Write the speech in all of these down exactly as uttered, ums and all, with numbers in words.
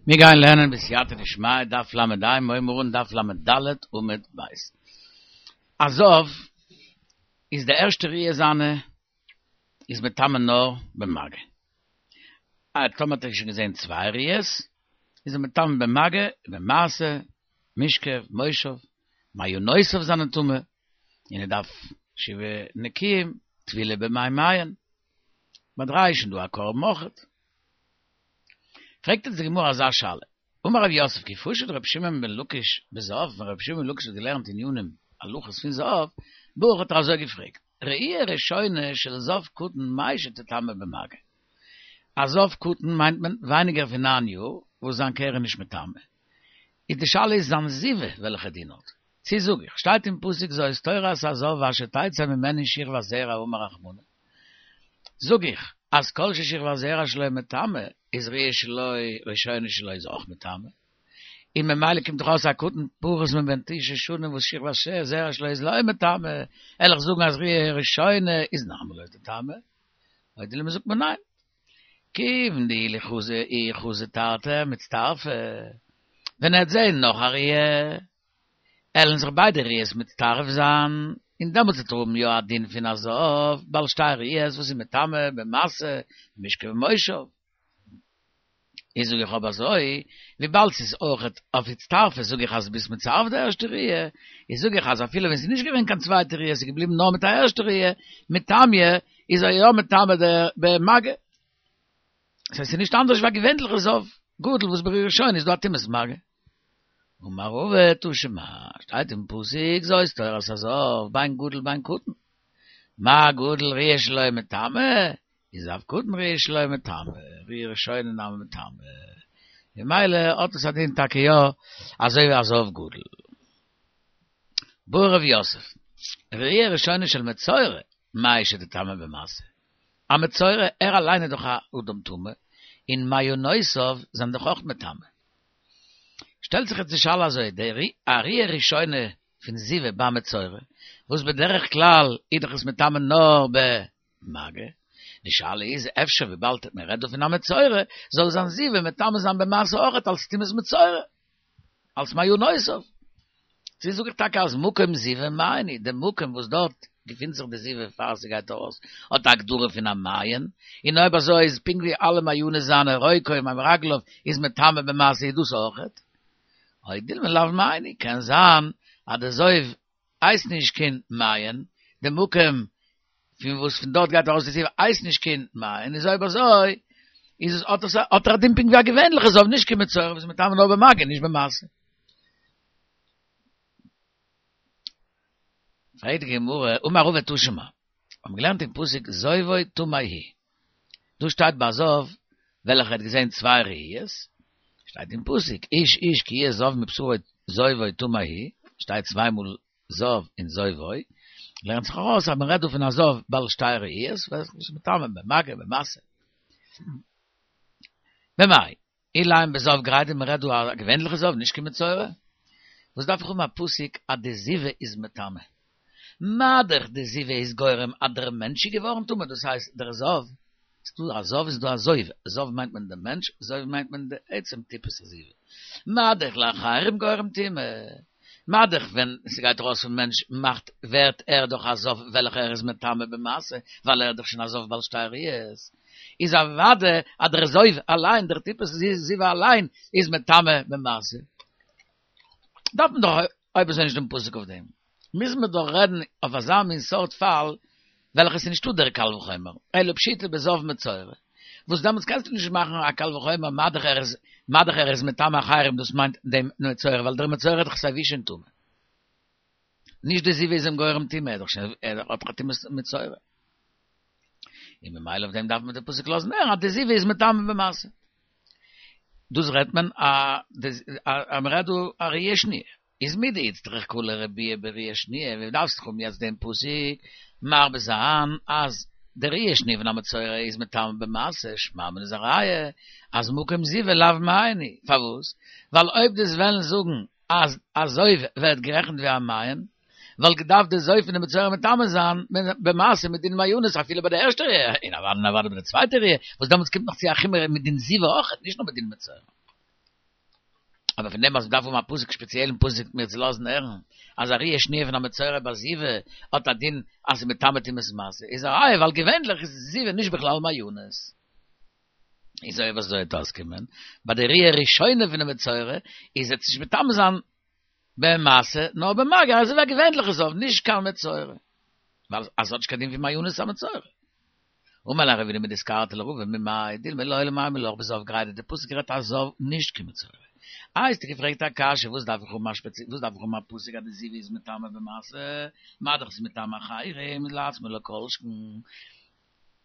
מיר גייען לערנען בסייעתא דשמיא דף ל"ה, מיר הייבן אן דף ל"ד עמוד ב'. א זב איז די ערשטע ראיה זיינע איז מטמא נאר במגע. א טאמער האט ער שוין געזען צוויי ראיות איז ער מטמא במגע, במשא, משכב, מושב, מעיינותיו זענען טמא, און ער דארף שבעה נקיים, טבילה במי מעיין. ביי דריי איז שוין דא א קרבן אויכעט. פרעגט אונז די גמרא אזא שאלה, אמר רב יוסף כי פשט רבי שמעון בן לקיש בזב, ווען רבי שמעון בן לקיש האט געלערנט ענינים הלכות פון זב, בעי האט ער אזוי געפרעגט, ראי' ראשונה של זב קטן מהו שתטמא במגע? א זב קטן מיינט מען ווייניגער פון נײַן יאר וואס זיין קרי איז נישט מטמא, איז די שאלה איז זיין זיבה וועלכע דין האט, צו זאג איך, שטייט אין פסוק זאת תורת הזב אשר תצא ממנו שכבת זרע אמר רחמנא, זאג איך אז כל ששכבת זרע שלו מטמא איז ראיה שלו ראשונה שלו איז אויך מטמא, און ממילא קומט דאך אויס א קטן פחות מבן תשע שנים וואס שכבת זרע שלו איז לא מטמא, וועל איך זאגן אז ראיה ראשונה איז נמי לא תטמא, או דילמא זאגט מען ניין, כיוון דאי חזי אי חזי תרתי מצטרפי, ווען ער וועט זעהן נאך א ראיה עלן זיך ביידע ראיות מצטרף זיין, און דעמאלטס וועט ער האבן יא א דין פון א זב בעל שתי ראיות וואס איז מטמא במשא במשכב ומושב. איז זאג איך אויב אזוי, וויבאלד ס'איז אויכעט אויף הצטרפות זאג איך אז ביסט מצרף די ערשטע ראיה, איז זאג איך אז אפילו ווען ס'איז נישט געווען קיין צווייטע ראיה ס'איז געבליבן נאר מיט א ערשטע ראיה, מטמיא, איז ער יא מטמא במגע. ס'הייסט ס'איז נישט אנדערש ווי א געווענליכע זב גדול וואס בראיה ראשונה איז דא א טומאת מגע. אמר רבא תא שמע, שטייט אין פסוק זאת תורת הזב בין גדול בין קטן, מה גדול ראיה שלו מטמא, איז אף קטן ראיה שלו מטמא, ראיה ראשונה נמי מטמא, ממילא האט עס א דין טאקע יא אזוי ווי א זב גדול. בעי רב יוסף, ראיה ראשונה של מצורע, מהו שתטמא במשא. א מצורע, ער אליין איז דאך א אדם טמא, און מעיינותיו זענען דאך אויך מטמא. שטעלט זיך יעצט די שאלה אזוי, די א ראיה ראשונה פון זיבה ביי מצורע, וואס בדרך כלל איז דאך עס מטמא נאר במגע, די שאלה איז אפשר וויבאלד מען רעדט דא פון א מצורע, זאל זיין זיבה מטמא זיין במשא אויכעט אלס טומאת מצורע, אלס מעיינותיו. צו זאג איך טאקע אז מקום זיבה מעיין הוא, די מקום וואס דארט געפינט זיך די זיבה פאר ס'גייט ארויס, האט א הגדרה פון א מעיין, און אויב אזוי איז פונקט ווי אלע מעיינות זיינע רוקו מים רגליו איז מטמא במשא איז דאס אויכעט. או דילמא לאו מעיין הוא, קען זיין אז די זוב הייסט נישט קיין מעיין, די מקום פון וואס פון דארט גייט ארויס די זיבה הייסט נישט קיין מעיין, איז אויב אזוי איז עס האט עס האט ער א דין פונקט ווי א געווענליכע זב נישט קיין מצורע וואס איז מטמא נאר במגע נישט במשא. פרעגט די גמרא, אמר רבא תא שמע, האבן געלערנט אין פסוק זובו טמא הוא, דא שטייט ביי א זב וועלכער האט געזען צוויי ראיות, שטייט אין פסוק איש איש כי יהיה זב מבשרו זובו טמא הוא, שטייט צוויי מאל זב און זובו, לערנט זיך ארויס אז מען רעדט דא פון א זב בעל שתי ראיות, וואס איז מטמא במגע במשא. במאי, אילימא בזב גרידא מען רעדט דא א געווענליכע זב נישט קיין מצורע, וואס דארף איך האבן א פסוק אז די זיבה איז מטמא? מה דאך די זיבה איז גורם אז דער מענטש איז געווארן טמא דאס הייסט דער זב, ס'איז דא א זב און ס'איז דא א זוב, זב מיינט מען דעם מענטש, זוב מיינט מען די עצם טיפת הזיבה, מה דאך לאחרים גורם טומאה, מה דאך ווען ס'גייט ארויס פון מענטש מאכט ווערט ער דאך א זב וועלכער איז מטמא במשא ווייל ער איז דאך שוין א זב בעל שתי ראיות, איז אוודאי אז דער זוב אליין, דער טיפת זיבה אליין איז מטמא במשא. דארף מען דאך אויב אזוי נישט דעם פסוק אויף דעם. מוז מען דאך רעדן אויף אזא מין סארט פאל וועלכע ס'איז נישטא דער קל וחומר, אלא פשיטא בזב מצורע, וואס דעמאלטס קענסטו נישט מאכן א קל וחומר מה דאך ער איז מה דאך ער איז מטמא אחרים דאס מיינט דעם מצורע ווייל דער מצורע איז דאך סייווי שוין טמא. נישט די זיבה איז אים גורם טומאה, ער איז דאך שוין ער האט דאך א טומאת מצורע. און ממילא אויף דעם דארף מען די פסוק לאזן הערן אז די זיבה איז מטמא במשא. דאס רעדט מען א אז מען רעדט דא א ראיה שניה. איז מדאיצטריך קלא לרבויי בראיה שניה, ווי דארפסט דאך האבן יעצט דעם פסוק מרבה זיין אז די ראיה שניה פון א מצורע איז מטמא במשא, שמע מינה איז א ראיה אז מקום זיבה לאו מעיין הוא, פארוואס? ווייל אויב דו'סט וועלן זאגן אז א זוב ווערט גערעכנט ווי א מעיין, וואלט געדארפט די זוב פון די מצורע מטמא זיין במשא מדין מעיינות אפילו ביי די ערשטע ראיה, און אוודאי און אוודאי ביי די צווייטע ראיה, וואס דעמאלטס קומט נאך צו א חומרא מדין זיבה אויכעט, נישט נאר מדין מצורע. אבער פון דעם אז מ'דארף האבן א פסוק, ספעציעלן פסוק מיר צו לאזן הערן, אז א ראיה שניה פון א מצורע בזיבה האט א דין אז ס'איז מטמא טומאת משא, איז א ראיה ווייל געווענליך איז זיבה נישט בכלל מעיינות. איז אויב אזוי וועט אויסקומען, ביי די ראיה ראשונה פון די מצורע איז עס נישט מטמא זיין במשא, נאר במגע, אזוי ווי א געווענליכע זב, נישט קיין מצורע. ווייל עס האט נישט קיין דין פון מעיינות א מצורע. אמר ליה רבינא מדיסקרתא לרבא ממאי דילמא לעולם אימא לך בזב גרידא די פסוק רעדט א זב נישט קיין מצורע. איי האסטו געפרעגט א קשיא וואס דארף איך האבן א שפעצי וואס דארף איך האבן א פסוק אז די זיבה איז מטמא במשא מה דאך ס'איז מטמא אחרים לעצמו לא כל שכן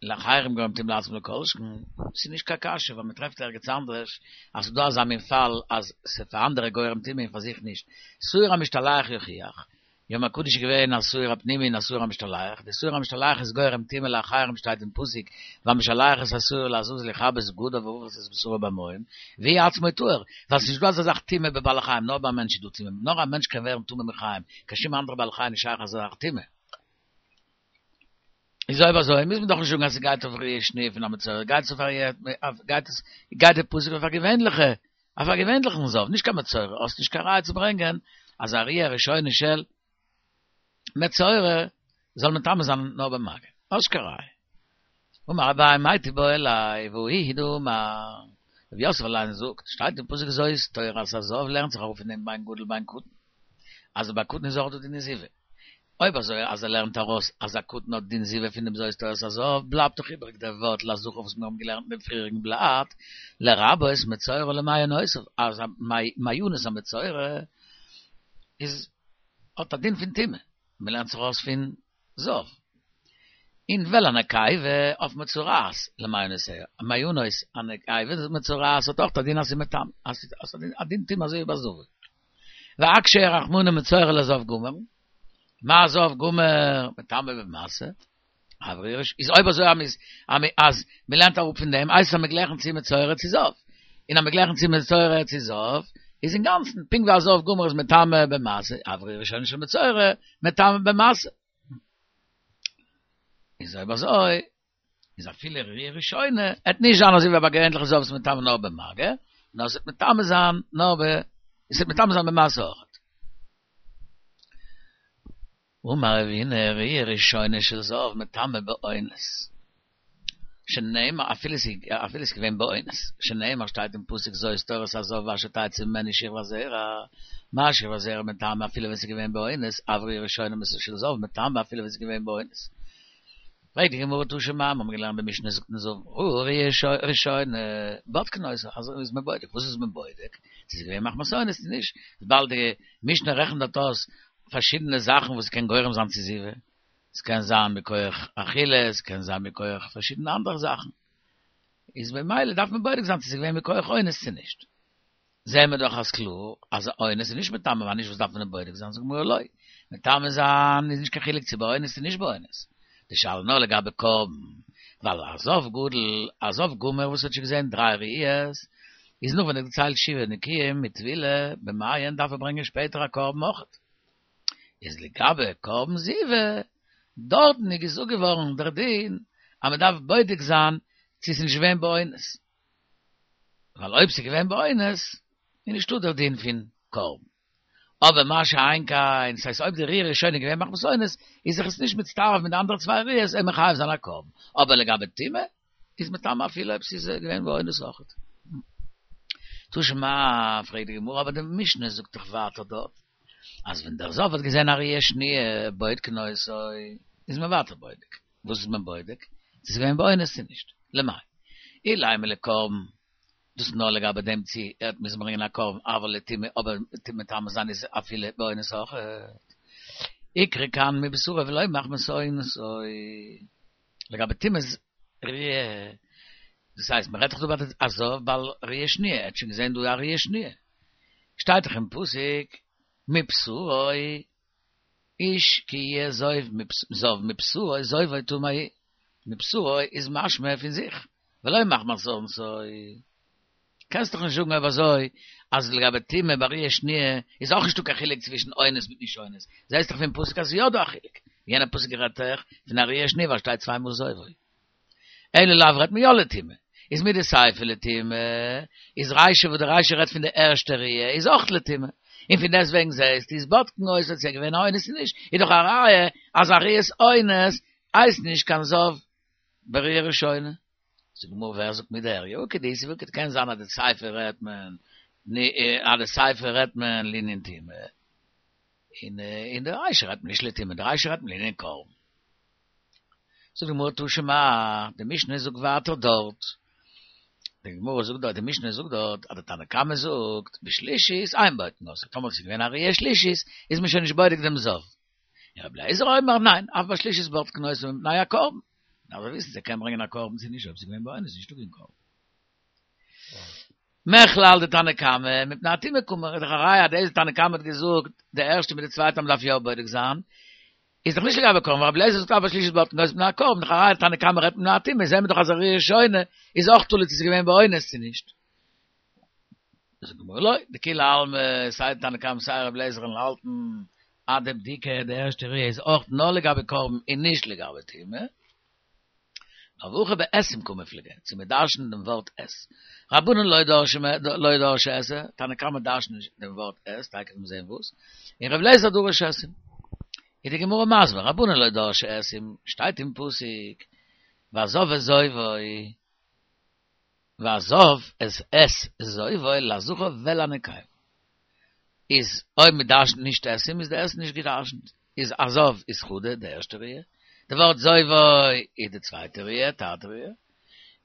לאחרים גורם טומאה לעצמו לא כל שכן ס'איז נישט קיין קשיא ווייל מ'טרעפט ערגעץ אנדערש אז ס'איז דא אזא מין פאל אז ס'איז פאר אנדערע גורם טומאה און פאר זיך נישט שעיר המשתלח יוכיח יום הקדוש איז געווען א שעיר הפנימי און א שעיר המשתלח, די שעיר המשתלח איז גורם טומאה לאחרים שטייט אין פסוק והמשלח את השעיר לעזאזל יכבס בגדיו ורחץ את בשרו במים, והוא עצמו טהור, ווייל ס'נישט דא אזא זאך טומאה בבעלי חיים, נאר ביי א מענטש איז דא טומאה, נאר א מענטש קען ווערן טמא מחיים, קיין שום אנדערע בעל חי נישט שייך אזא זאך טומאה. איז אויב אזוי מוז מען דאך נישט זאגן אז ס'גייט אויף ראיה שניה פון א מצורע, גייט עס אויף א גייט עס גייט די פסוק אויף א געווענליכע אויף א געווענליכן זב, נישט קיין מצורע, האסט נישט קיין ראיה צו ברענגען אז א ראיה ראשונה של מצורע זאל מטמא זיין נאר במגע, האסט נישט קיין ראיה. אמר אביי מאי תיבעי ליה והא הוא דאמר, רב יוסף אליין זאגט, שטייט אין פסוק זאת תורת הזב לערנט זיך אראפ פון דעם בין גדול בין קטן, אז ביי קטן איז אויך דא דיני זיבה. אויב אזוי אז ער לערנט ארויס אז א קטן האט דין זיבה פון דעם זאת תורת הזב, בלייבט דאך איבעריג דער ווארט לזכר וואס מיר האבן געלערנט אין דעם פריעריגן בלאט, לרבות מצורע למעיינותיו, אז מעיינות המצורע איז האט א דין פון טומאה, מען לערנט זיך ארויס פון זב. און ולנקבה אויף מצורעת למעיינותיה, מעיינות הנקבה מצורעת האט אויך א דין אז ס'איז מטמא, אז ס'האט א דין טומאה אזוי ווי ביי זבה. ואקשיה רחמנא מצורע לזב גמור, מה זב גמור מטמא במשא, אף ראיה איז אויב אזוי אז אז מ'לערנט אראפ פון דעם הייסט עס אז מ'גלייכן צו מצורע צו זב, און אז מ'גלייכן צו מצורע צו זב איז אינגאנצן פונקט ווי א זב גמור איז מטמא במשא, אף ראיה ראשונה של מצורע מטמא במשא. איז אויב אזוי איז אפילו ראיה ראשונה עט נישט זיין אזוי ווי ביי געווענליכע זב וואס מטמא נאר במגע, נאר עס וועט מטמא זיין נאר ב עס וועט מטמא זיין במשא אויכעט. אמר רבינא ראיה ראשונה של זב מטמא באונס, שנאמר אפילו אפילו ס'איז געווען באונס, שנאמר שטייט אין פסוק זאת תורת הזב אשר תצא ממנו שכבת זרע, מה שכבת זרע מטמא אפילו ווען ס'איז געווען באונס, אף ראיה ראשונה של זב מטמא אפילו ווען ס'איז געווען באונס. פרעגט די גמרא תא שמע, מיר האבן געלערנט די משנה זאגט אין זב ראה ראיה ראשונה, בודקין אותו, אזוי איז מען בודק, וואס איז מען בודק? צו ס'איז געווען מחמת אונס צו נישט, וויבאלד די משנה רעכנט דארט אויס פארשידענע זאכן וואס קען גורם זיין צו זיבה, עס קען זיין מכח אכילה, עס קען זיין מכח פארשידענע אנדערע זאכן, איז ממילא דארף מען בודק זיין צו ס'איז געווען מכח אונס צו נישט. זעהן מיר דאך אז קלאר אז אונס איז נישט מטמא, ווייל נישט וואס דארף מען דען בודק זיין, זאגט די גמרא לא, מטמא זיין איז נישט קיין חילוק צו באונס צו נישט באונס, די שאלה נאר לגבי קרבן, ווייל א זב גדול, א זב גמור וואס האט שוין געזעהן דריי ראיות, איז נאך ווען ער האט געציילט שבעה נקיים מיט טבילה במעיין דארף ער ברענגען שפעטער א קרבן אויכעט. איז לגבי קרבן זיבה, דארטן איז געזאגט געווארן דער דין אז מען דארף בודק זיין צו ס'איז נישט געווען באונס, ווייל אויב ס'איז געווען באונס איז נישטא דער דין פון קרבן. אבער מה שאין כן, ס'הייסט אויב די ראיה ראשונה איז געווען מחמת אונס, איז זיך עס נישט מצטרף מיט די אנדערע צוויי ראיות אים מחייב זיין א קרבן, אבער לגבי טומאה איז מטמא אפילו אויב ס'איז געווען באונס אויכעט. תא שמע, פרעגט די גמרא, אבער די משנה זאגט דאך ווייטער דארט, אז ווען דער זב האט געזען א ראיה שניה בודקין אותו, איז מען ווייטער בודק. וואס איז מען בודק? צו ס'איז געווען באונס צו נישט. למאי? אילימא לקרבן, דאס נאר לגבי דעם צו ער האט מוזן ברענגען א קרבן, אבל לטומאה, אבער מטמא זיין איז אפילו באונס אויכעט. איקרי כאן מבשרו ולא מחמת אונסו. לגבי טומאת ראיה, דאס הייסט מען רעדט דאך דא ביי א זב בעל ראיה שניה, ער האט שוין געזען דא א ראיה שניה, שטייט דאך אין פסוק מבשרו איש כי יהיה זב מבשרו זובו טמא הוא, מבשרו איז משמע פון זיך, ולא מחמת אונסו. קענסט דאך נישט זאגן אויב אזוי אז לגבי טומאה בראיה שניה איז אויך נישטא קיין חילוק צווישן אונס מיט נישט אונס, זעסט דאך פון פסוק אז ס'איז יא דא א חילוק, יענער פסוק רעדט דאך פון א ראיה שניה ווייל שטייט צוויי מאל זובו. אלא לאו רעדט מען יא לטומאה, איז מדסיפא לטומאה, איז רישא וואס דער רישא רעדט פון די ערשטע ראיה, איז אויך לטומאה. און פון דעסטוועגן זעסטו איז בודקין אותו צו ס'איז געווען א אונס צו נישט, איז דאך א ראיה אז א ראיית אונס הייסט נישט קיין זב בראיה ראשונה. זאגט די גמרא ווער זאגט מידי איכא דאיתא והא איכא קען זיין אז די סיפא רעדט מען אז די סיפא רעדט מען לענין טומאה, און אין די רישא רעדט מען נישט לטומאה, די רישא רעדט מען לענין קרבן. זאגט די גמרא תא שמע, די משנה זאגט ווייטער דארט, די גמרא זאגט דארט, די משנה זאגט דארט, אז די תנא קמא זאגט, בשלישית אין בודקין אותו, טאמער עס איז געווען א ראיה שלישית, איז מען שוין נישט בודק דעם זב. און רבי אליעזר אומר, ניין, אף בשלישית בודקין אותו מפני הקרבן. דארף ער וויסן צו ער קען ברענגען א קרבן צו נישט, אויב עס איז געווען באונס איז נישטא קיין קרבן. מכלל דתנא קמא, מפני הטומאה קאמר, איז דאך א ראיה אז דאס תנא קמא האט געזאגט, די ערשטע מיט די צווייטע אז מ'דארף יא בודק זיין, איז דאך נישט לגבי קרבן, רבי אליעזר זאגט אף בשלישית בודקין אותו מפני הקרבן, דאך א ראיה תנא קמא רעדט מפני הטומאה, זעהן מיר דאך אז א ראיה ראשונה איז אויך תלוי צו ס'איז געווען באונס צו נישט. זאגט די גמרא לא, דכולי עלמא סיי תנא קמא סיי רבי אליעזר וועלן האלטן אז די בדיקה די ערשטע ראיה איז אויך נאר לגבי קרבן און נישט לגבי טומאה. נאר והכא באתים קמיפלגי, צו מען דרש'נט דעם ווארט את. רבנן לא דרשי לא דרשי אתא, תנא קמא דרש'נט נישט דעם ווארט את, תיכף וועט מען זען וואס, און רבי אליעזר דרש אתים. איז די גמרא מסביר, רבנן לא דרשי אתים, שטייט אין פסוק, והזב את זובו, והזב את את זובו לזכר ולנקבה. איז אויב מען דרש'נט נישט אתים איז די את נישט געדרש'נט. איז הזב איז חדא די ערשטע ראיה, די ווארט זובו איז די צווייטע ראיה, תרתי ראיה,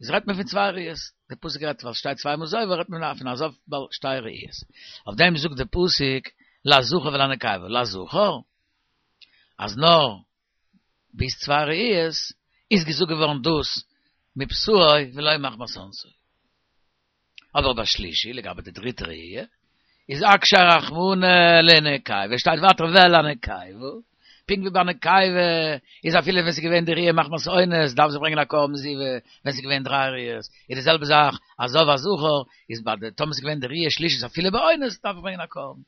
איז רעדט מען פון צוויי ראיות, די פסוק רעדט ווייל ס'שטייט צוויי מאל זובו רעדט מען פון א זב בעל שתי ראיות, אויף דעם זאגט די פסוק לזכר ולנקבה, לזכר אז נאר ביז צוויי ראיות איז געזאגט געווארן דאס מבשרו ולא מחמת אונסו. אבער בשלישי, לגבי די דריטע ראי', איז אקשיה רחמנא לנקבה, שטייט ווייטער ולנקבה, פונקט ווי ביי נקבה איז אפילו ווען ס'איז געווען די ראי' מחמת אונס דארף זי ברענגען א קרבן זיבה, ווען ס'איז געווען דריי ראיות, איז די זעלבע זאך א זב א זכר, איז ביי די טאמער ס'איז געווען די ראי' שלישית אפילו באונס דארף ער ברענגען א קרבן.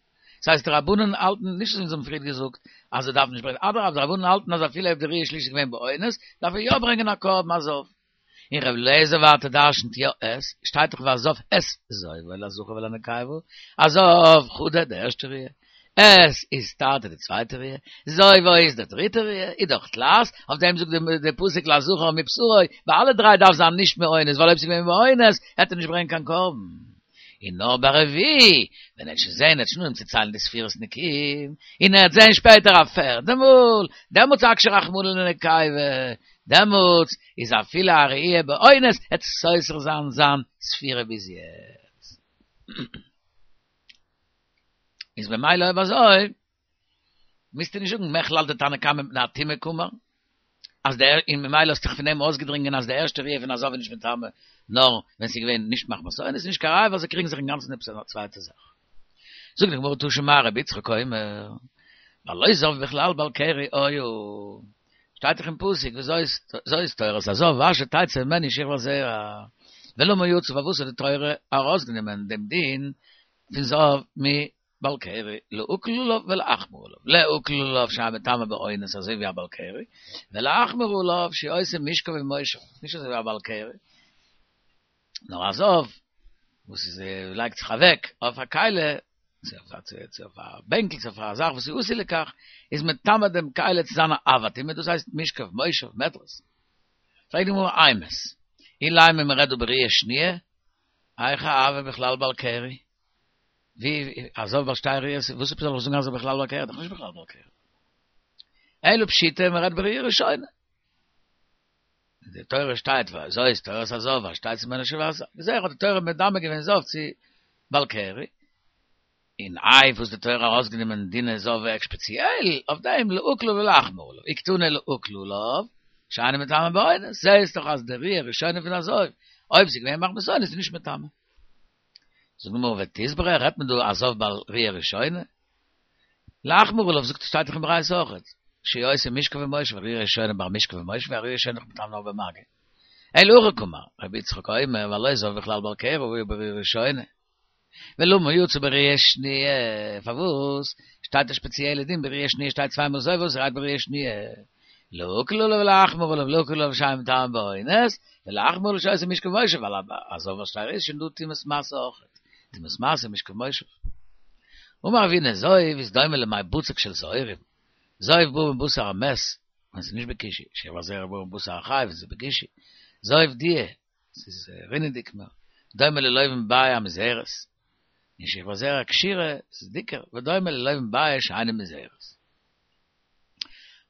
ס'הייסט די רבנן האלטן נישט אזוי ווי אונז האבן פריער געזאגט אז ער דארף נישט ברענגען, אדרבה די רבנן האלטן אז אפילו אויב די ראי' שלישית איז געווען באונס דארף ער יא ברענגען א קרבן א זב. און ר' אליעזר ווייטער דרשנ'ט יא את, שטייט דאך והזב את זובו לזכר ולנקבה, הזב חדא די ערשטע ראיה, את איז תרתי די צווייטע ראיה, זובו איז די דריטע ראיה, איז דאך תלת, אויף דעם זאגט די פסוק לזכר מבשרו, ביי אלע דריי דארף זיין נישט מאונס, ווייל אויב ס'איז געווען באונס העט ער נישט ברענגען קיין קרבן. און נאר ביי רביעי, ווען ער האט שוין זעהן, ער האט שוין אנגעהויבן צו ציילן די ספירות נקיים, און ער האט זעהן שפעטער א פערדע מאל, דעמאלטס אקשיה רחמנא לנקבה, דעמאלטס איז אפילו א ראי' באונס העט סותר זיין זיין ספירה ביז יעצט. איז במילא אויב אזוי, מוזטו נישט זאגן מכלל דתנא קמא מפני הטומאה קאמר, אז דער און ממילא האסטו זיך פון דעם אויסגעדרינגען אז די ערשטע ראי' פון א זב איז נישט מטמא נאר ווען ס'איז געווען נישט מחמת אונס איז נישט קיין ראיה ווייל זיי קריגן זיך אינגאנצן עפעס א צווייטע זאך. זאגט די גמרא תא שמע רבי יצחק אומר והלא זב בכלל בעל קרי היה שטייט דאך אין פסוק וזאת זאת תורת הזב ואשר תצא ממנו שכבת זרע ולמה יצא פארוואס האט די תורה ארויסגענומען דעם דין פון זב מ בעל קרי, להקל עליו ולהחמיר עליו, להקל עליו שאינו מטמא באונס אזוי ווי א בעל קרי, ולהחמיר עליו שהוא עושה משכב ומושב, נישט אזוי ווי א בעל קרי, נאר א זב וואס איז לייגט זיך אוועק אויף א כלי, צו אויף א בענקל, צו אויף א זאך וואס איז עשוי לכך, איז מטמא דעם כלי צו זיין א אב הטומאה, דאס הייסט משכב, מושב, מדרס. פרעגט די גמרא אימת, אילימא מ'רעדט דא בראיה שניה, היכי הוי בכלל בעל קרי? ווי א זב בעל שתי ראיות, וואס עפעס זאל איך זאגן אז ער בכלל בעל קרי, דאך נישט בכלל בעל קרי. אלא פשיטא מען רעדט בראי' ראשונה. אין די תורה שטייט וזאת תורת הזב אשר תצא ממנו שכבת זרע האט די תורה מדמה געווען זב צו בעל קרי. און איי וואס די תורה ארויסגענומען דיני זב ספעציעל אויף דעם להקל ולהחמיר עליו, אי קתני להקל עליו, שאינו מטמא באונס, זעהסט דאך אז די ראי' ראשונה פון א זב, אויב ס'איז געווען מחמת אונס איז נישט מטמא. זאגט די גמרא ותסברא רעדט מען דא א זב בעל ראיה ראשונה? להחמיר עליו זאגט שטייט דאך אין ברייתא אויכעט שהוא עושה משכב ומושב ראיה ראשונה ביי משכב ומושב א ראיה ראשונה איז דאך מטמא נאר במגע אלא הכי קאמר רבי יצחק אומר והלא זב בכלל בעל קרי היה בראיה ראשונה ולמה יצא בראיה שניה פארוואס שטייט א שפעציעלע דין בראיה שניה שטייט צוויי מאל זב וואס רעדט בראיה שניה להקל עליו ולהחמיר עליו, להקל עליו שאין טעם באונס, ולהחמיר עליו שעושה משכב מושב, ווייל א זב על שתי ראיות שוין דא טומאת משא אויכעט, טומאת משא משכב מושב. אמר רב הונא זוב איז דומה למי בצק של שעורים, זוב בא מבשר המת, ווען ס'איז נישט בקישוי, שכבת זרע בא מבשר החי ווען ס'איז בקישוי, זוב דיע, ס'איז רינעדיג מער, דומה ללובן ביעה המוזהרת, און שכבת זרע קשירה, ס'איז דיקער, ודומה ללובן ביעה שאינה מוזהרת.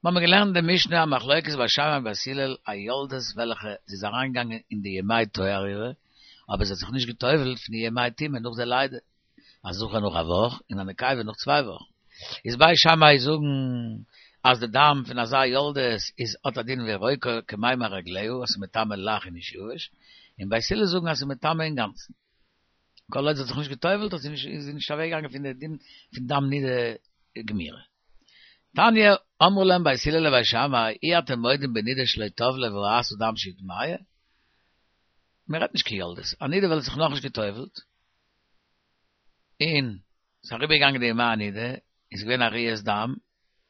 מיר האבן געלערנט אין די משנה א מחלוקת בית שמאי ובית הלל א יולדת וועלכע זי איז אריינגעגאנגען אין די ימי טוהר אירע, אבער זי האט זיך נישט גע'טובל'ט פון די ימי טומאה נאך די לידה, א זכר נאך א וואך און א נקבה נאך צוויי וואכן. איז בית שמאי זאגן אז די דם פון אזא יולדת איז האט א דין ווי רוקה כמימי רגליה אז ס'איז מטמא לח און נישט יבש, און בית הלל זאגן אז ס'איז מטמא אינגאנצן. כל עוד זי האט זיך נישט גע'טובל'ט איז זי נישט איז זי נישט אוועקגעגאנגען פון די דין פון דם נידה גמירה. תניא, אמרו להם בית הלל לבית שמאי, אי אתם מודים בנידה שלא טבלה וראתה דם שהיא טמאה? מען רעדט נישט קיין יולדת, א נידה וועלכע האט זיך נאכנישט גע'טובל'ט, און ס'איז אריבערגעגאנגען די ימי הנידה, און ס'איז געווען א ראיית דם,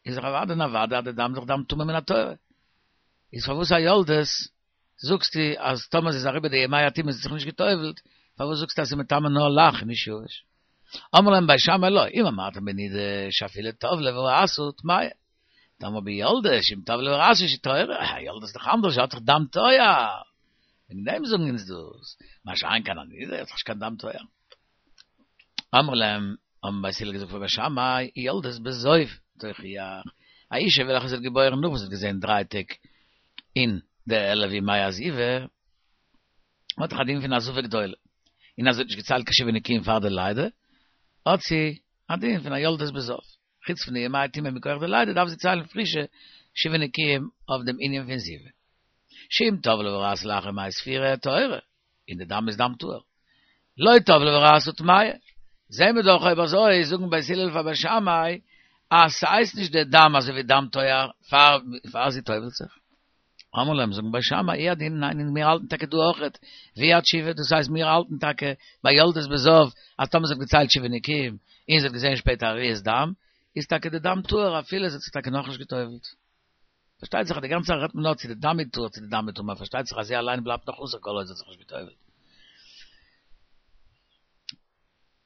איז דאך אוודאי און אוודאי אז די דם איז דאך דם טמא מן התורה. איז פארוואס א יולדת זאגסטו אז טאמער זי איז אריבער די ימי הטומאה און זי האט זיך נישט גע'טובל'ט, פארוואס זאגסטו אז ס'איז מטמא נאר לח און נישט יבש? אמרו להם בית שמאי לא, אם אמרתם בנידה שאפילו טבלה וראתה טמאה. תאמר ביולדת שאם טבלה וראתה שהיא טהורה, א יולדת איז דאך אנדערש, זי האט דאך דם טוהר. וועגן דעם זאגן אונז דאס. מה שאין כן א נידה האט דאך נישט קיין דם טוהר. אמרו להם, האבן בית הלל געזאגט פאר בית שמאי, יולדת בזוב תוכיח, א אישה וועלכע זי האט געבוירן נאך וואס זי האט געזען דריי טעג אין די עלף ימי הזיבה, האט דאך א דין פון א זבה גדולה, און אז זי האט נישט געציילט קיין שבעה נקיים פאר די לידה, האט זי א דין פון א יולדת בזוב. חוץ פון די ימי הטומאה מכח די לידה דארף זי ציילן פרישע שבעה נקיים אויף דעם ענין פון זיבה. שאם טבלה וראתה לאחר ימי ספירה טהורה, און די דם איז דם טהור. לא טבלה וראתה טמאה. זעהן מיר דאך אויב אזוי זאגן בית הלל פאר בית שמאי אז ס'הייסט נישט די דם אזוי ווי דם טוהר פאר פאר זי טובל'ט זיך. אמרו להם זאגן בית שמאי הוא הדין ניין און מיר האלטן טאקע דא אויכעט ווי התשובה דאס הייסט מיר האלטן טאקע ביי יולדת בזוב אז טאמער זי האט געציילט שבעה נקיים און זי האט געזעהן שפעטער א ראיית דם איז טאקע די דם טהור אפילו זי האט זיך טאקע נאכנישט געטובל'ט. פארשטייט זיך אז די גאנצע זאך רעדט מען נאר צו די דם איז טהור צו די דם איז טמא, פארשטייט זיך אז זי אליין בלייבט נאך אסור כל עוד זי האט זיך נישט גע'טובל'ט.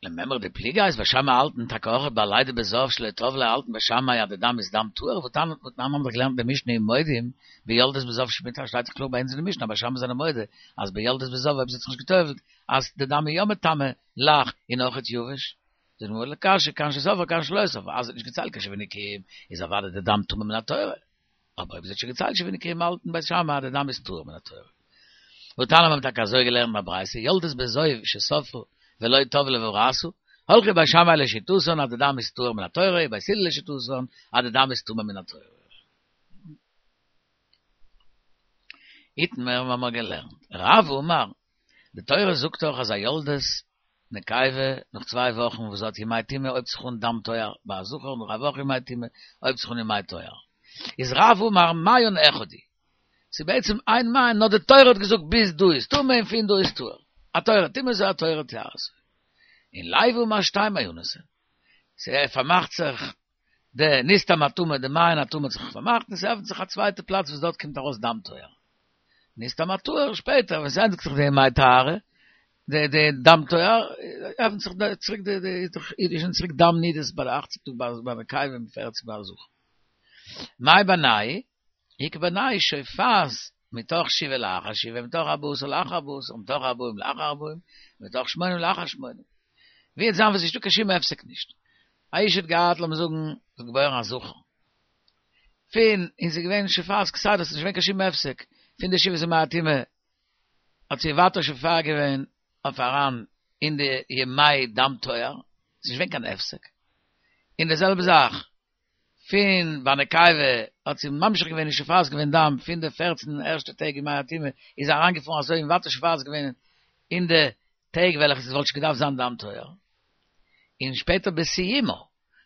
למימרא דפליגי אז בית שמאי האלטן טאקע אויך ביי לידה בזוב שלא טבלה האלטן בית שמאי אז די דם איז דם טהור, והתניא והתנן האבן דאך געלערנט די משנה ומודים ביולדת בזוב שמיטה שטייט דאך קלאר ביי אונז אין די משנה אז בית שמאי זענען מודה אז ביולדת בזוב אויב זי האט זיך נישט גע'טובל'ט אז די דם איז יא מטמא לח און אויכעט יבש. זאגט די גמרא לא קשיא כאן שספרה כאן שלא ספרה, אז זי האט נישט געציילט קיין שבעה נקיים איז אוודאי די דם טמא מן התורה, אבער אויב זי האט שוין געציילט שבעה נקיים האלטן בית שמאי אז די דם איז טהור מן התורה. והתניא מיר האבן טאקע אזוי געלערנט אין א ברייתא, יולדת בזוב שספרה ולא טבלה וראתה, הלכו בית שמאי לשיטתן אז די דם איז טהור מן התורה, ובית הלל לשיטתן אז די דם איז טמא מן התורה. איתמר האבן מיר געלערנט, רב אמר, די תורה זאגט דאך אז א יולדת נקבה נאך צוויי וואכן וואס האט ימי טומאה הויבט זיך אן דם טוהר ביי א זכר נאך א וואך ימי טומאה הויבט זיך אן ימי טוהר איז רב אמר מעיין אחד הוא ס'איז בעצם איין מעיין נאר די תורה האט געזאגט ביז דא איז טמא און פון דא איז טהור התורה טומאתו התורה טהרתו און לוי אמר שתי מעיינות הן ס'פארמאכט זיך די נסתם הטמא די מעיין הטמא האט זיך פארמאכט און ס'עפנט זיך א צווייטע פלאץ וואס דארט קומט ארויס דם טוהר נסתם הטהור שפעטער ווען ס'ענדיגט זיך די ימי טהרה די די דם טוהר עפנט זיך די צוריק די די איז דאך איז שוין צוריק דם נידות ביי די אכציג טאג ביי ביי נקבה און פערציג ביי א זכר. מאי בינייהו? איכא בינייהו שופעת מתוך שבעה לאחר שבעה מתוך ארבעה עשר לאחר ארבעה עשר מתוך ארבעים לאחר ארבעים מתוך שמונים לאחר שמונים. ווי וועט זיין וואס נישטא קיין שום הפסק נישט. א אישה האט געהאט לאמיר זאגן זי האט געבוירן א זכר. פון און ס'איז געווען שופעת כסדר ס'איז נישט געווען קיין שום הפסק פון די שבעת ימי הטומאה האט זי ווייטער שופע געווען אויף אריין אין די ימי דם טוהר, ס'איז נישט געווען קיין הפסק, און די זעלבע זאך פון ביי נקבה האט זי ממשיך געווען און שופעת געווען דם פון די פערצן ערשטע טעג ימי הטומאה איז זי אריינגעפארן אזוי און ווייטער שופעת געווען אין די טעג וועלכע ס'וואלט שוין געדארפט זיין דם טוהר, און שפעטער בסיומה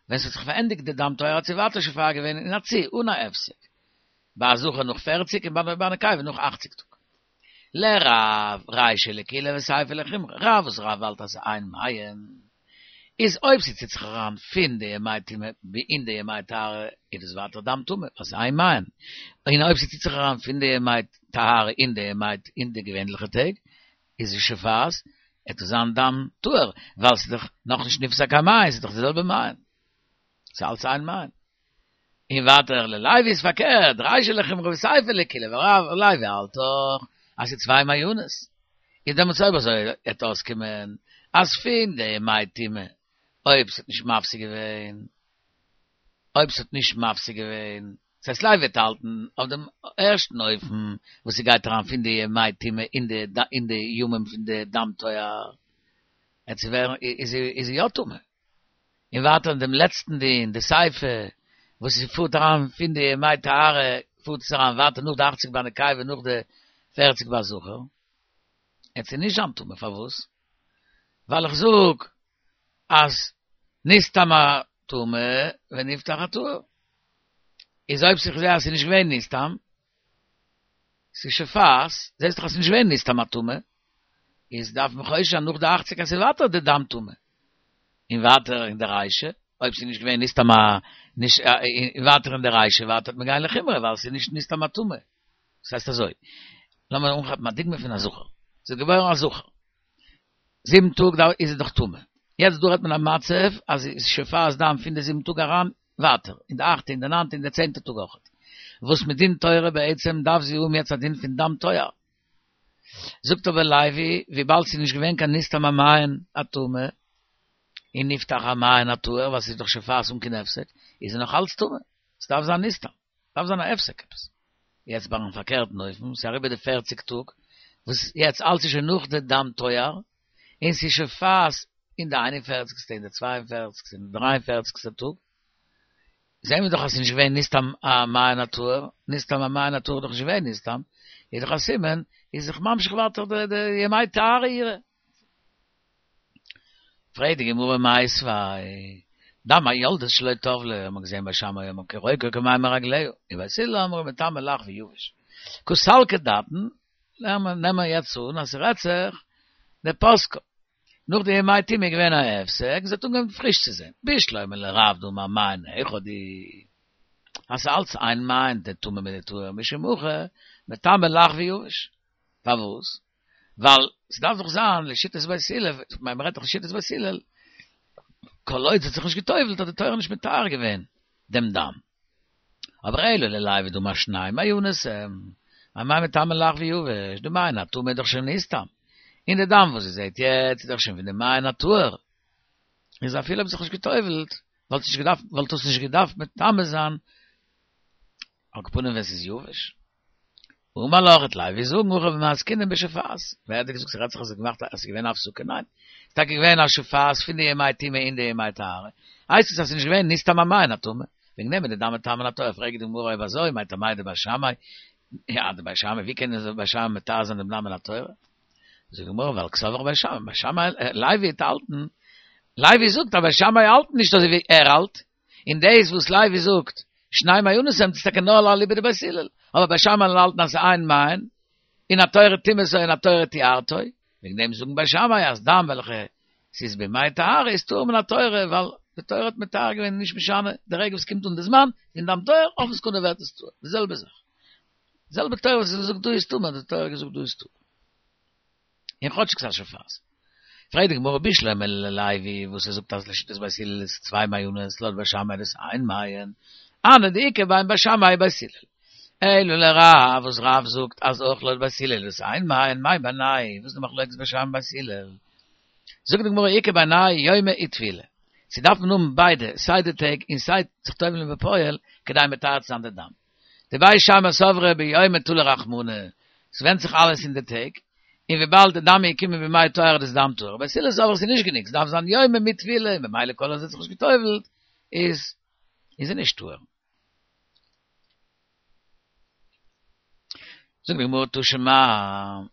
ווען ס'האט זיך פארענדיגט די דם טוהר האט זי ווייטער שופע געווען אין א צי אן א הפסק, ביי א זכר נאך פֿערציק און ביי א נקבה נאך אַכציק טאג. לרב, רישא לקולא וסיפא לחומרא, רב וואס רב האלט אז ס'איז איין מעיין, איז אויב זי ציט זיך אריין פון די ימי טומאה אין די ימי טהרה, איז דאס ווייטער דם טמא, ווייל ס'איז איין מעיין. און אויב זי ציט זיך אריין פון די ימי טהרה אין די ימי אין די געווענליכע טעג, איז זי שופעת, וועט עס זיין דם טהור, ווייל ס'איז דאך נאכנישט נפסק המעיין, ס'איז דאך די זעלבע מעיין. ס'איז אלץ איין מעיין. און ווייטער ללוי איז פארקערט, רישא לחומרא וסיפא לקולא, ווייל לוי האלט דאך אז ס'איז צוויי מעיינות. איז דעמאלטס אויב אזוי וועט אויסקומען אז פון די ימי טומאה אויב ס'האט נישט מפסיק געווען, אויב ס'האט נישט מפסיק געווען, ס'הייסט לוי וועט האלטן אויף דעם ערשטן אופן וואס ס'גייט אריין פון די ימי טומאה אין די אין די ימים פון די דם טוהר, עט זי ווערן איז איז זי יא טמא. און ווייטער אין דעם לעצטן דין, די סיפא, וואס זי פארט אריין פון די ימי טהרה פארט עס אריין ווייטער נאך די אכציג ביי נקבה און נאך די פערציג ביי זכר, עט זי נישט זיין טמא, פארוואס? ווייל איך זאג אז נסתם הטמא ונפתח הטהור. איז אויב איך זעה אז ס'איז נישט געווען נסתם, ס'איז שופעת, זעסט דאך אז ס'איז נישט געווען נסתם הטמא, איז דארף מען חושש זיין נאך די אכציג אז ס'איז ווייטער די דם טמא. און ווייטער אין די רישא, אויב ס'איז נישט געווען נסתם א, נישט, און ווייטער אין די רישא ווייטער וועט מען גיין לחומרא ווייל ס'איז נישט נסתם הטמא. דאס הייסט אזוי, לאמיר אנכאפן א דוגמא פון א זכר, ס'איז געבוירן א זכר, זיבן טאג איז ער דאך טמא, יעצט דא רעדט מען א מצב אז ס'איז שופעת דם פון די זיבן טאג אריין ווייטער, אין די אכטע, אין די ניינטע, אין די צענטע טאג אויכעט, וואס מדין תורה בעצם דארף זי האבן יעצט א דין פון דם טוהר. זאגט אבער לוי, וויבאלד ס'איז נישט געווען קיין נסתם המעיין הטמא, און נפתח המעיין הטהור, ווייל ס'איז דאך שופעת אן קיין הפסק, איז ער נאך אלץ טמא, ס'דארף זיין נסתם, ס'דארף זיין א הפסק עפעס. יעצט ביים פארקערטן אופן, ס'איז אריבער די פערציג טאג, וואס יעצט אלץ איז שוין נאך די דם טוהר, און ס'איז שופעת אין די איין און פערציגסטע, אין די צוויי און פערציגסטע, אין די דריי און פערציגסטע טאג, זעהן מיר דאך אז ס'איז נישט געווען נסתם המעיין הטהור, נסתם המעיין הטהור איז דאך נישט געווען נסתם, איז דאך א סימן, איז זיך ממשיך ווייטער די די ימי טהרה אירע. פרעגט די גמרא מיתיבי, דם היולדת שלא טבלה, האט מען געזען בית שמאי אומרים כרוקו כמים מרגליה, און בית הלל אומרים מטמא לח ויבש. קא סלקא דעתין, נעמען מיר יעצט אן אז ס'רעדט זיך דפסקה. נאך די ימי טומאה איז געווען א הפסק, זי האט אנגעהויבן פריש צו זען. בשלמא לרב דאמר מעיין אחד הוא. אז ס'איז אלץ איין מעיין די טמא מיט די טהור משום הכי מטמא לח ויבש. פארוואס? ווייל ס'דארף דאך זיין לשיטת בית הלל, כ'מיין מ'רעדט דאך לשיטת בית הלל, כל עוד זי האט זיך נישט גע'טובל'ט האט די תורה נישט מטהר געווען דעם דם. אבער אלא ללוי דאמר שני מעיינות הם, אמאי מטמא לח ויבש, די מעיין הטמא איז דאך שוין נסתם, און די דם וואס זי זעהט יעצט איז דאך שוין פון די מעיין הטהור, איז אפילו אויב זיך נישט גע'טובל'ט, וואלט נישט געדארפט וואלט דאס נישט געדארפט מטמא זיין, על כל פנים ווען ס'איז יבש. אמר לך וועט לוי זאגן הכא במאי עסקינן בשופעת, ווער האט דיר געזאגט ס'רעדט זיך אז ס'איז געמאכט אז ס'איז געווען א הפסקה? ניין, ס'איז טאקע געווען א שופעת פון די ימי טומאה אין די ימי טהרה, הייסט עס אז ס'איז נישט געווען נסתם המעיין הטמא, וועגן דעם איז די דם מטמא לטהור, פרעגט די גמרא אויב אזוי מאי טעמא דבית שמאי, יא די בית שמאי, ווי קען די בית שמאי מטהר זיין דעם דם מן התורה? זאגט די גמרא ווייל קסבר בית שמאי, בית שמאי, לוי האט האלטן, לוי זאגט אז בית שמאי האלטן נישט אזוי ווי ער האלט, און דאס וואס לוי זאגט שני מעיינות הם איז טאקע נאר אליבא דבית הלל, אבער בית שמאי האלטן אז ס'איז איין מעיין, און התורה טמאתו און התורה טיהרתו, וועגן דעם זאגן בית שמאי אז דם וועלכע ס'איז בימי טהרה איז טהור מן התורה, ווייל די תורה האט מטהר געווען נישט משנה די רגע וואס קומט אן די זמן פון דם טהור אויפן סעקונדע ווערט עס טהור, די זעלבע זאך, די זעלבע תורה וואס זאגט דא איז טמא האט די תורה געזאגט דא איז טהור. און כאטשיג ס'איז א שופעת. פרעגט די גמרא בשלמא ללוי וואס ער זאגט אז לשיטת בית הלל איז צוויי מעיינות לויט בית שמאי איז עס איין מעיין, הני דאיכא בין בית שמאי ובית הלל. אלא לרב וואס רב זאגט אז אויך לויט בית הלל איז עס איין מעיין מאי בינייהו וואס איז די מחלוקת בית שמאי בית הלל? זאגט די גמרא איכא בינייהו יומא וטבילה. ס'דארף מען האבן ביידע סיי די טעג און סיי זיך טובל'ן בפועל כדי מטהר צו זיין די דם. דבית שמאי סברי ביומא תלי רחמנא, ס'ווענדט זיך אלעס אין די טעג, און וויבאלד די דם איז געקומען בימי טהרה איז דם טהור, בית הלל סברי ס'איז נישט גענוג, ס'דארף זיין יומא מיט טבילה, און במילא כל עוד זי האט זיך נישט גע'טובל'ט איז איז זי נישט טהור. זאגט די גמרא תא שמע,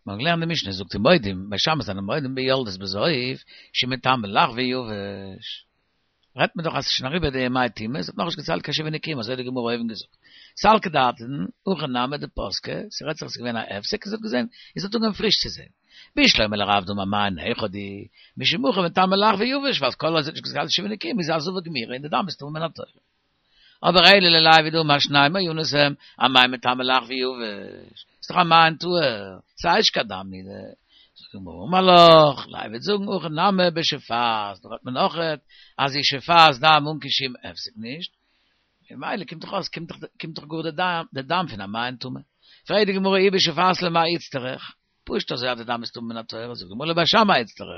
מ'האט געלערנט די משנה זאגט ומודים, בית שמאי זענען מודים ביולדת בזוב שמטמאה לח ויבש. רעדט מען דאך אז ס'איז שוין אריבער די ימי טומאה, ס'האט נאכנישט געציילט קיין שבעה נקיים, אזוי האט די גמרא אויבן געזאגט. סלקא דעתין, הכא נמי דפסקה, ס'רעדט זיך אז ס'איז געווען א הפסק און זי האט געזען, און זי האט אנגעהויבן פריש צו זען. בשלמא לרב דאמר מעיין היכא הוא, משמוכן מטמא לח ויבש, ווייל כל עוד זי האט נישט געהאט שבעה נקיים איז א זבה גמורה און די דם איז טמא מן התורה. אבער אלא ללוי דאמר שני מעיינות הם, אמאי מטמא לח ויבש, ס'איז דאך א מעיין טהור, ס'איז נישט קיין דם נידה. זאגט די גמרא אמר לך, לוי וועט זאגן הכא נמי בשופעת, דא רעדט מען אויכעט אז זי שופעת דם אן קיין שום הפסק נישט, ממילא קומט דאך אויס קומט דאך קומט דאך גאר די דם די דם פון א מעיין טמא. פרעגט די גמרא אי בשופעת למאי איצטריך, פשוט אזוי אז די דם איז טמא מן התורה, זאגט די גמרא לבית שמאי איצטריך,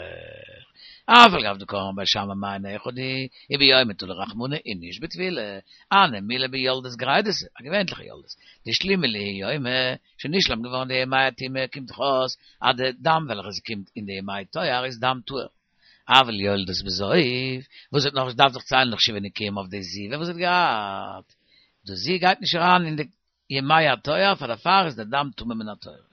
אף על גב דקאמר בית שמאי מעיין אחד הוא, וביומא תלי רחמנא און נישט בטבילה, הני מילי ביולדת גרידתא, א געווענליכע יולדת, דאשלימו להו יומי, שוין נשלם געווארן די ימי הטומאה, קומט דאך אויס אז די דם וועלכע ס'קומט אין די ימי טוהר איז דם טהור. אבל יולדת בזוב, וואס האט נאך דארף זיך ציילן נאך שבעה נקיים אויף די זיבה וואס האט געהאט, דאס זי גייט נישט אריין אין די ימי הטוהר, פאר דערפאר איז די דם טמא מן התורה.